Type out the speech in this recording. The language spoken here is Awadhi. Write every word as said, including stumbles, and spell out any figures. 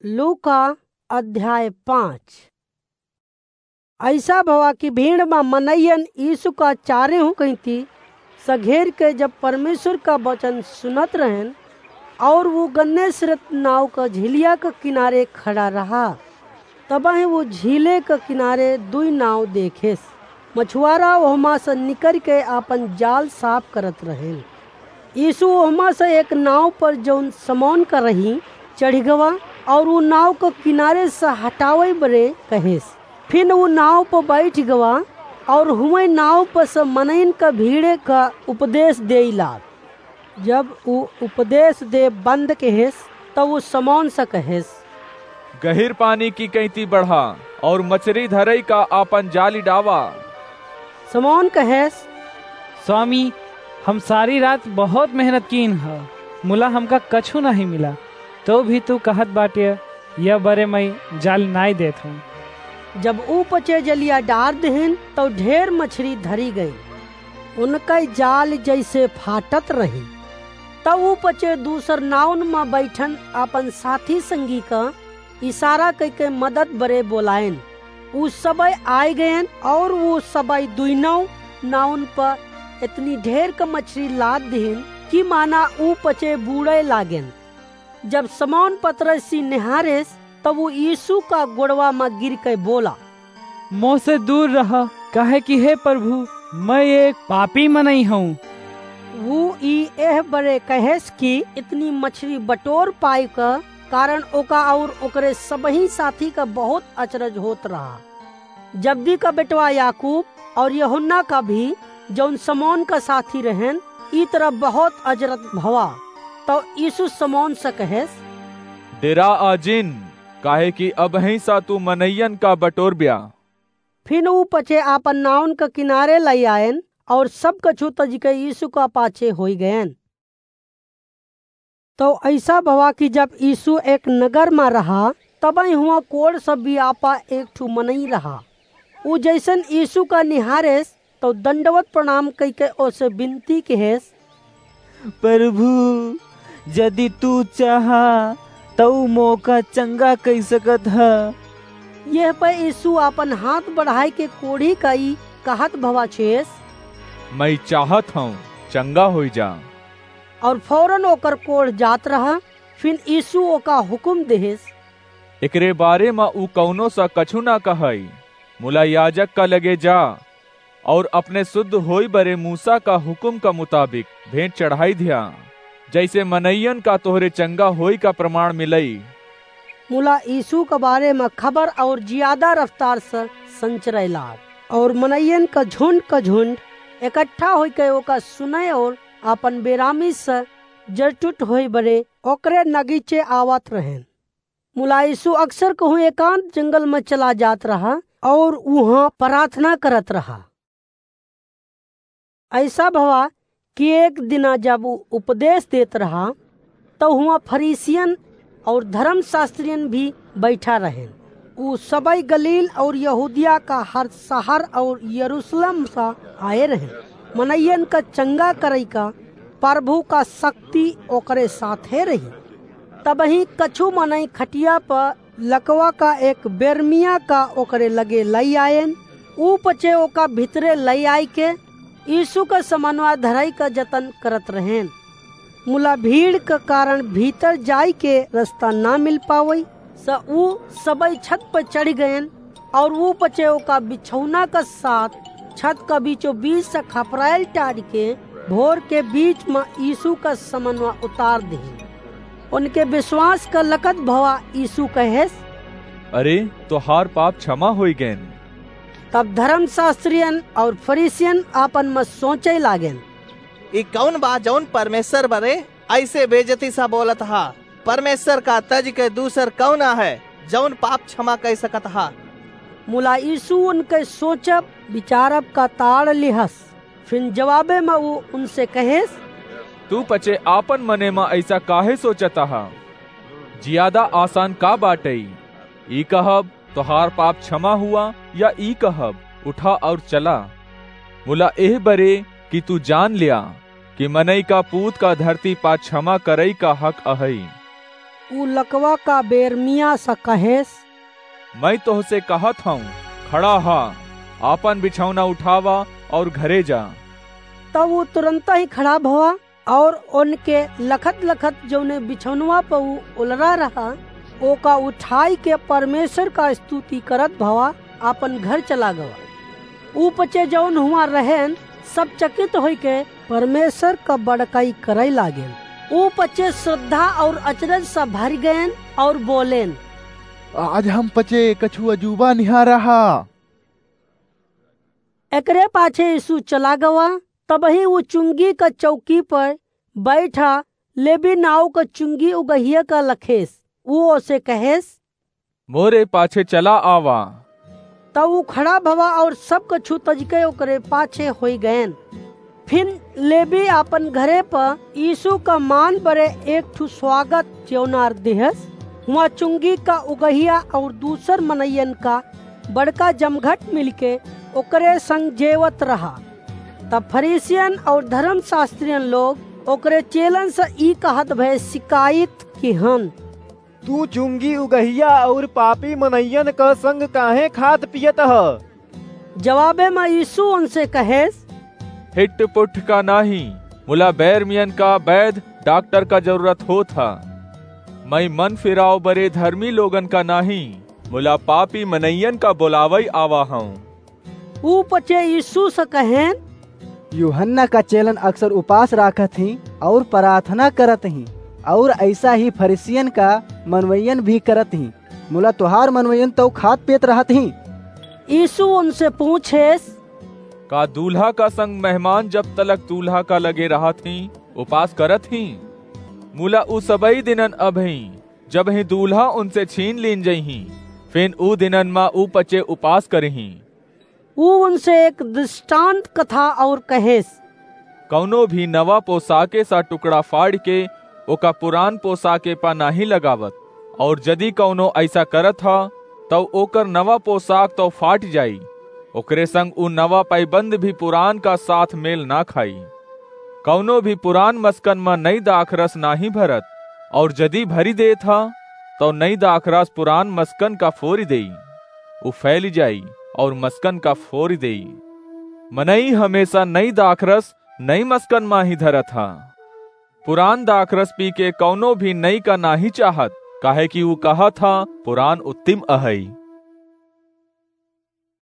लूका अध्याय पाँच। ऐसा भवा कि भीड़ मा मनइयन यीशु का चारेहू कइती सघेर के जब परमेश्वर का वचन सुनत रहेन, और वो गन्नेसरत नाव का झिलिया का किनारे खड़ा रहा। तबहिं वो झीले का किनारे दुई नाव देखेस। मछुआरा ओहमा से निकर के आपन जाल साफ करत रहेन। यीशु ओहमा से एक नाव पर, जौन समौन का रही, चढ़ि गवा और ऊ नाव क किनारे से हटावइ बरे कहेस। फिन ऊ नाव प बैठि गवा और हुवइ नाव प से मनइन क भीड़े क उपदेस देइ लाग। जब ऊ उपदेस देब बंद कहेस, तब ऊ समौन से कहेस, गहिर पानी की कइती बढ़ा और मछरी धरइ का आपन जाली डावा। समौन कहेस, स्वामी, हम सारी रात बहुत मेहनत कीन ह, मुला हमका कछु नाहीं मिला, तउ भी तू कहत बाट्य, यह बरे मइँ जाल नाहीं देत हउँ। जब ऊ पचे जलिया डार देहेन, तउ ढेर मछरी धरी गइन। उनकइ जाल जइसे फाटत रही। तब ऊ पचे दूसर नाउन म बैठन आपन साथी संगी क इसारा कइके मदद बरे बोलाएन। ऊ सबइ आइ गएन और ऊ सबइ दुइनउ नाउन प एतनी ढेर क मछरी लाद दिहिन कि माना ऊ पचे बूड़इ लागेन। जब समौन पतरसी निहारेस, तब ऊ यीशु का गोड़वा म गिरके बोला, मोसे दूर रह, काहे कि हे प्रभु, मइँ एक पापी मनई हउँ। ऊ ई एह बरे कहेस कि इतनी मछरी बटोर पाए क कारण ओका और ओकरे सबही साथी क बहुत अचरज होत रहा। जब्दी क बेटवा याकूब और यूहन्ना क भी, जउन समौन क साथी रहेन, ई तरह बहुत अजरत भवा। तउ यीशु समौन से कहेस, डेरा आ जिन, काहे कि अबहीं सा तू मनइयन का बटोर ब्या। फिन ऊ पचे आपन नाउन क किनारे लइ आएन और सब कछु तजिके यीशु का पाछे होइ गएन। तउ अइसा भवा कि जब यीशु एक नगर म रहा, तबइ हुआँ कोढ़ सब बियापा एक ठू मनई रहा। ऊ जइसन यीशु का निहारेस, तउ दंडवत प्रणाम कइके ओसे बिनती कहेस, प्रभु, जदि तू चाहा, तउ मोका चंगा कइ सकत ह। यह प यीशु आपन हाथ बढ़ाइके कोढ़ी का ई कहत भवा छुएस, मइँ चाहत हउँ, चंगा होइ जा। और फौरन ओकर कोढ़ जात रहा। फिन यीशु ओका हुकुम देहेस, एकरे बारे म ऊ कउनो सा कछु न कहइ, मुला याजक का लगे जा और अपने सुद्ध होइ बरे मूसा का हुकुम का मुताबिक भेंट चढ़ाइ ध्या, जइसे मनइयन का तोहरे चंगा होइ का प्रमाण मिलइ। मुला यीशु क बारे म खबर और जियादा रफ्तार से संचरइ लाग, और मनइयन क झुंड क झुंड एकट्ठा होइके ओका सुनइ और आपन बेरामी से जरटुट होइ बरे ओकरे नगीचे आवत रहेन। मुला यीशु अक्सर कहूँ एकांत जंगल म चला जात रहा और उहाँ प्रार्थना करत रहा। अइसा भवा कि एक दिना जब ऊ उपदेस देत रहा, तउ हुआँ फरीसियन और धरमशास्त्रियन भी बइठा रहेन। ऊ सबइ गलील और यहूदिया का हर सहर और यरूसलेम स आए रहेन। मनइयन क चंगा करइ का प्रभु का सक्ति ओकरे साथे रही। तबहीं कछु मनई खटिया प लकवा का एक बेरमिया का ओकरे लगे लइ आएन। ऊ पचे ओका भितरे लइ आइके यीशु क समनवा धरइ क जतन करत रहेन। मुला भीड़ क कारण भीतर जाइके रस्ता न मिल पावइ, स ऊ सबइ छत प चढ़ि गएन और ऊ पचे ओका बिछौना क साथ छत क बीचों बीच से खपराइल टारिके भोर के बीच म यीशु क समनवा उतार दिहिन। उनके बिसवास क लकत भवा यीशु कहेस, अरे, तोहार पाप छमा होइ गएन। तब धरमशास्त्रियन और फरीसियन आपन म सोचइ लागेन, ई कउन बा जउन परमेश्वर बरे अइसे बेइज्जती स बोलत ह? परमेश्वर का तजिके दूसर कउन आहे जउन पाप छमा कइ सकत ह? मुला यीशु उनके सोचब बिचारब का ताड़ लिहस। फिन जवाबे म ऊ उनसे कहेस, तू पचे आपन मने म अइसा काहे सोचत ह? जियादा आसान का बाटइ, ई कहब, तोहार पाप छमा हुआ, या ई कहब, उठा और चला? मुला एह बरे कि तू जान ल्या कि मनई का पूत का धरती पा छमा करइ का हक अहइ। ऊ लकवा का बेरमिया स कहेस, "मैं तोहसे कहत हऊँ, खड़ा हा, आपन बिछौना उठावा और घरे जा।" तब ऊ तुरंत ही खड़ा भवा और उनके लखत लखत जौने बिछौनवा पर ऊ उलरा रहा, ओका उठाई के परमेश्वर का स्तुति करत भवा आपन घर चला गवा। ऊ पचे जौन हुआ रहेन, सब चकित होई के परमेश्वर का बड़काई करे लागेन। ऊ पचे श्रद्धा और अचरज से भर गएन और बोलेन, "आज हम पचे कछु अजूबा निहारा हा।" एकरे पाछे यीशु चला गवा। तबही ऊ चुंगी का चौकी पर बैठा लेवी नाव का चुंगी उगहिया का लखेस। ऊ ओसे कहेस, "मोरे पाछे चला आवा।" तब ऊ खड़ा भवा और सब कछु तजके ओकरे पाछे होई गएन। फिर लेवी आपन घरे पर यीशु का मान बरे एक ठु स्वागत जेवनार दिहस। हुआ चुंगी का उगहिया और दूसर मनइयन का बड़का जमघट मिलके ओकरे संग जेवत रहा। तब फरीसियन और धर्मशास्त्रियन लोग ओकरे चेलन से ई कहत भए शिकायत किहन, "तू चुंगी उगहिया और पापी मनइयन क संग काहे खात पियत ह?" जवाबे में यीशु उनसे कहेस, "हिट पुट का नाही, मुला बैरमियन का बैद डॉक्टर का जरूरत होत ह। मैं मन फिराव बरे धर्मी लोगन का नाही, मुला पापी मनइयन का बोलावई आवा हूँ।" ऊ पचे यीशु से कहेन, "यूहन्ना का चेलन अक्सर उपास राखत ही और प्रार्थना करत ही, और ऐसा ही फरीसियन का मनवैयन भी करत ही, मुला तोहार मनवैयन तो खात पियत रहत ही।" यीशु उनसे पूछेस, "का दूल्हा का संग मेहमान जब तलक दूल्हा का लगे रहत ही, उपास करत ही? मुला उ सबई दिनन अबही, जब ही दूल्हा उनसे छीन लीन जइही, फिन उ दिनन मा उ पचे उपास करिही।" ऊ उनसे एक दृष्टांत कथा और कहेस, "कौनो भी नवा पोशाके सा टुकड़ा फाड़ के ओका पुरान पोशाके पा नाही लगावत, और जदि कौनो ऐसा करत ह, तौ ओकर नवा पोशाक तौ फाट जाई, ओकरे संग उ नवा पैबंद भी पुरान का साथ मेल ना खाई। कौनो भी पुरान मस्कन म नई दाखरस नाही भरत, और जदि भरी देत ह, तौ नई दाखरस पुरान मस्कन का फोरी देई, उ फैली जाई और मस्कन का फोरी देई। मनई हमेशा नई दाखरस नई मस्कन मा ही धरत ह। पुरान दाखरस पी के कौनो भी नई का नाही चाहत, काहे कि उ कहत ह, पुरान उत्तिम अहई।"